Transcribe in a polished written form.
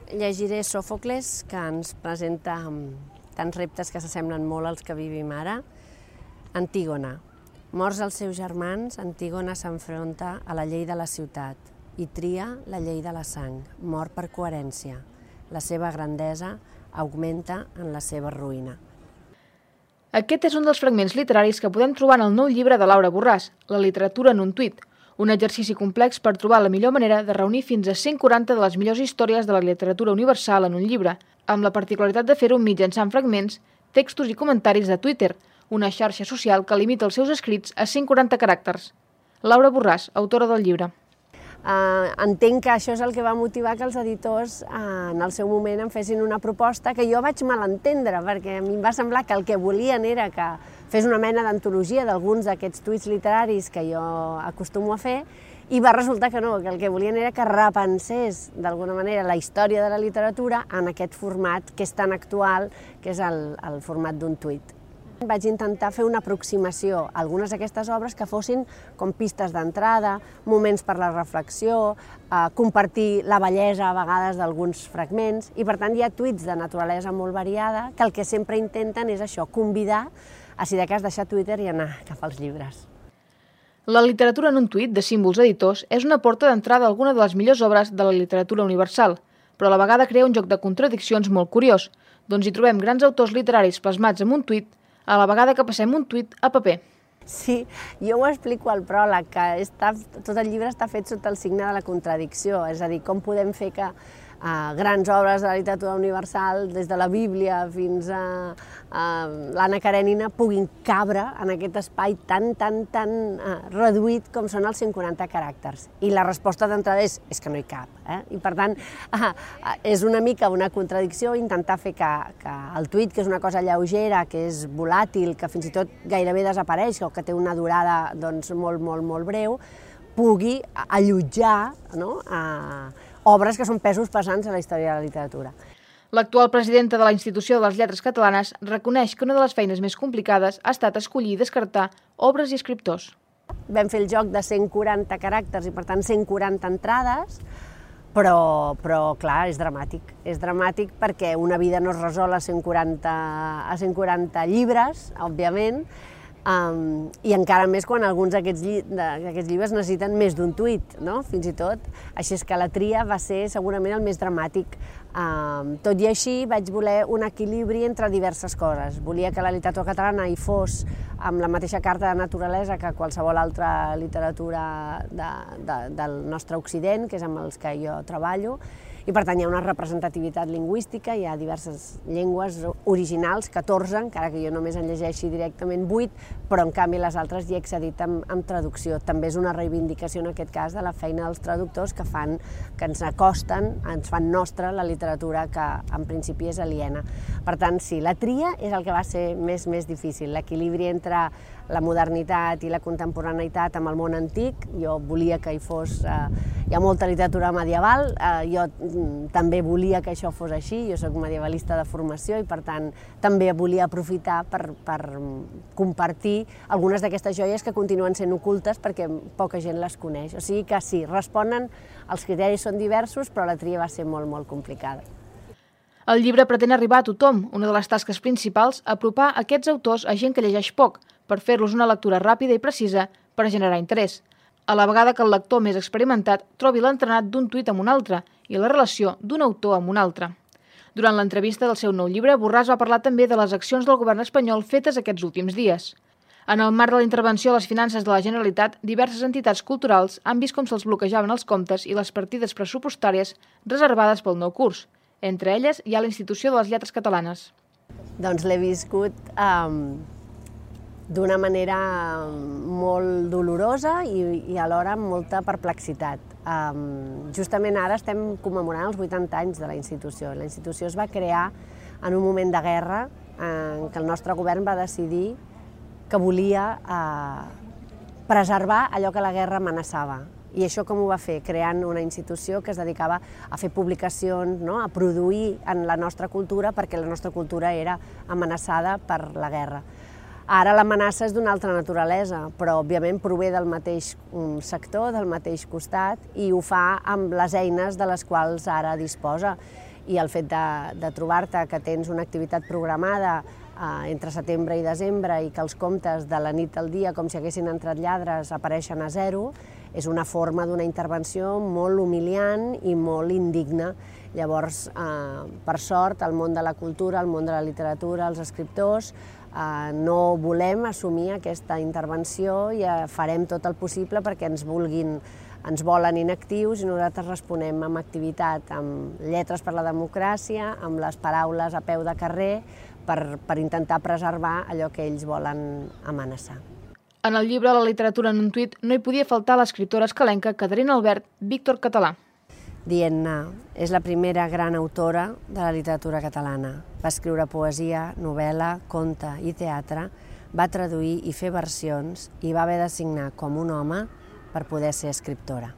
Llegiré Sòfocles, que ens presenta tants reptes que s'assemblen molt als que vivim ara. Antígona. Morts els seus germans, Antígona s'enfronta a la llei de la ciutat i tria la llei de la sang, mor per coherència. La seva grandesa augmenta en la seva ruïna. Aquest és un dels fragments literaris que podem trobar en el nou llibre de Laura Borràs, La literatura en un tuit, un exercici complex per trobar la millor manera de reunir fins a 140 de les millors històries de la literatura universal en un llibre, amb la particularitat de fer-ho mitjançant fragments, textos i comentaris de Twitter, una xarxa social que limita els seus escrits a 140 caràcters. Laura Borràs, autora del llibre. Entenc que això és el que va motivar que els editors en el seu moment em fessin una proposta que jo vaig malentendre, perquè a mi em va semblar que el que volien era que fes una mena d'antologia d'alguns d'aquests tuits literaris que jo acostumo a fer, i va resultar que no, que el que volien era que repensés d'alguna manera la història de la literatura en aquest format que és tan actual, que és el format d'un tuit. Vaig intentar fer una aproximació a algunes d'aquestes obres que fossin com pistes d'entrada, moments per la reflexió, compartir la bellesa a vegades d'alguns fragments, i per tant hi ha tuits de naturalesa molt variada que el que sempre intenten és això, convidar a, si de cas, deixar Twitter i anar cap als llibres. La literatura en un tuit de Símbols Editors és una porta d'entrada a alguna de les millors obres de la literatura universal, però a la vegada crea un joc de contradiccions molt curiós, doncs hi trobem grans autors literaris plasmats en un tuit a la vegada que passem un tuit a paper. Sí, jo ho explico al pròleg, que tot el llibre està fet sota el signe de la contradicció, és a dir, com podem fer que grans obres de la literatura universal, des de la Bíblia fins a l'Anna Karenina, puguin cabre en aquest espai tan reduït com són els 140 caràcters. I la resposta d'entrada és que no hi cap. I per tant, és una mica una contradicció intentar fer que el tuit, que és una cosa lleugera, que és volàtil, que fins i tot gairebé desapareix, o que té una durada molt breu, pugui allotjar obres que són pesos pesants a la història de la literatura. L'actual presidenta de la Institució de les Lletres Catalanes reconeix que una de les feines més complicades ha estat escollir i descartar obres i escriptors. Vam fer el joc de 140 caràcters i, per tant, 140 entrades, però clar, és dramàtic. És dramàtic perquè una vida no es resol a 140 llibres, òbviament, i encara més quan alguns d'aquests llibres necessiten més d'un tuit, fins i tot. Així és que la tria va ser segurament el més dramàtic. Tot i així vaig voler un equilibri entre diverses coses. Volia que la literatura catalana hi fos amb la mateixa carta de naturalesa que qualsevol altra literatura del nostre Occident, que és amb els que jo treballo, i per tant hi ha una representativitat lingüística, hi ha diverses llengües originals, 14, encara que jo només en llegeixi directament 8, però en canvi les altres hi he accedit amb traducció. També és una reivindicació en aquest cas de la feina dels traductors que ens acosten, ens fan nostra la literatura que en principi és aliena. Per tant, sí, la tria és el que va ser més difícil, l'equilibri entre la modernitat i la contemporaneïtat amb el món antic. Jo volia que hi fos... Hi ha molta literatura medieval, jo també volia que això fos així, jo soc medievalista de formació i per tant també volia aprofitar per compartir algunes d'aquestes joies que continuen sent ocultes perquè poca gent les coneix. O sigui que sí, responen, els criteris són diversos, però la tria va ser molt complicada. El llibre pretén arribar a tothom, una de les tasques principals, apropar aquests autors a gent que llegeix poc, per fer-los una lectura ràpida i precisa per generar interès, a la vegada que el lector més experimentat trobi l'entrenat d'un tuit amb un altre i la relació d'un autor amb un altre. Durant l'entrevista del seu nou llibre, Borràs va parlar també de les accions del govern espanyol fetes aquests últims dies. En el marc de la intervenció a les finances de la Generalitat, diverses entitats culturals han vist com se'ls bloquejaven els comptes i les partides pressupostàries reservades pel nou curs. Entre elles hi ha la Institució de les Lletres Catalanes. Doncs l'he viscut d'una manera molt dolorosa i alhora amb molta perplexitat. Justament ara estem commemorant els 80 anys de la institució. La institució es va crear en un moment de guerra en què el nostre govern va decidir que volia preservar allò que la guerra amenaçava. I això com ho va fer? Creant una institució que es dedicava a fer publicacions, a produir en la nostra cultura, perquè la nostra cultura era amenaçada per la guerra. Ara l'amenaça és d'una altra naturalesa, però òbviament prové del mateix sector, del mateix costat, i ho fa amb les eines de les quals ara disposa. i el fet de trobar-te que tens una activitat programada entre setembre i desembre i que els comptes de la nit al dia, com si haguessin entrat lladres, apareixen a zero, és una forma d'una intervenció molt humiliant i molt indigna. Llavors, per sort, el món de la cultura, el món de la literatura, els escriptors, no volem assumir aquesta intervenció i farem tot el possible perquè ens volen inactius i nosaltres responem amb activitat, amb lletres per la democràcia, amb les paraules a peu de carrer, per intentar preservar allò que ells volen amenaçar. En el llibre La literatura en un tuit no hi podia faltar l'escriptora escalenca Caterina Albert, Víctor Català. Dient-ne, és la primera gran autora de la literatura catalana. Va escriure poesia, novel·la, conte i teatre, va traduir i fer versions i va haver de signar com un home per poder ser escriptora.